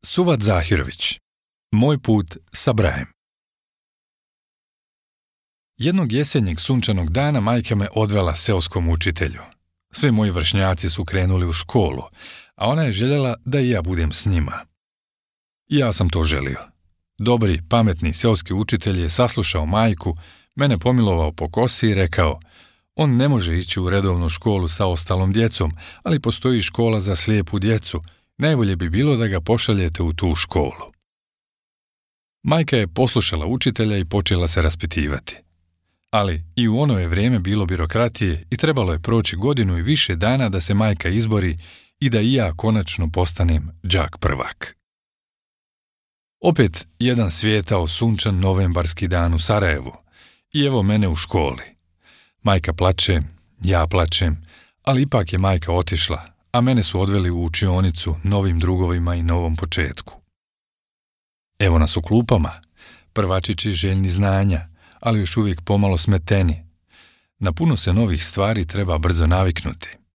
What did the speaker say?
Suvat Zahirović. Moj put sa Brajem. Jednog jesenjeg sunčanog dana majka me odvela seoskom učitelju. Svi moji vršnjaci su krenuli u školu, a ona je željela da i ja budem s njima. Ja sam to želio. Dobri, pametni seoski učitelj je saslušao majku, mene pomilovao po kosi i rekao: on ne može ići u redovnu školu sa ostalom djecom, ali postoji škola za slijepu djecu. Najbolje bi bilo da ga pošaljete u tu školu. Majka je poslušala učitelja i počela se raspitivati. Ali i u ono je vrijeme bilo birokratije i trebalo je proći godinu i više dana da se majka izbori i da i ja konačno postanem đak prvak. Opet jedan svijetao sunčan novembarski dan u Sarajevu i evo mene u školi. Majka plače, ja plačem, ali ipak je majka otišla, a mene su odveli u učionicu novim drugovima i novom početku. Evo nas u klupama, prvačići željni znanja, ali još uvijek pomalo smeteni. Na puno se novih stvari treba brzo naviknuti.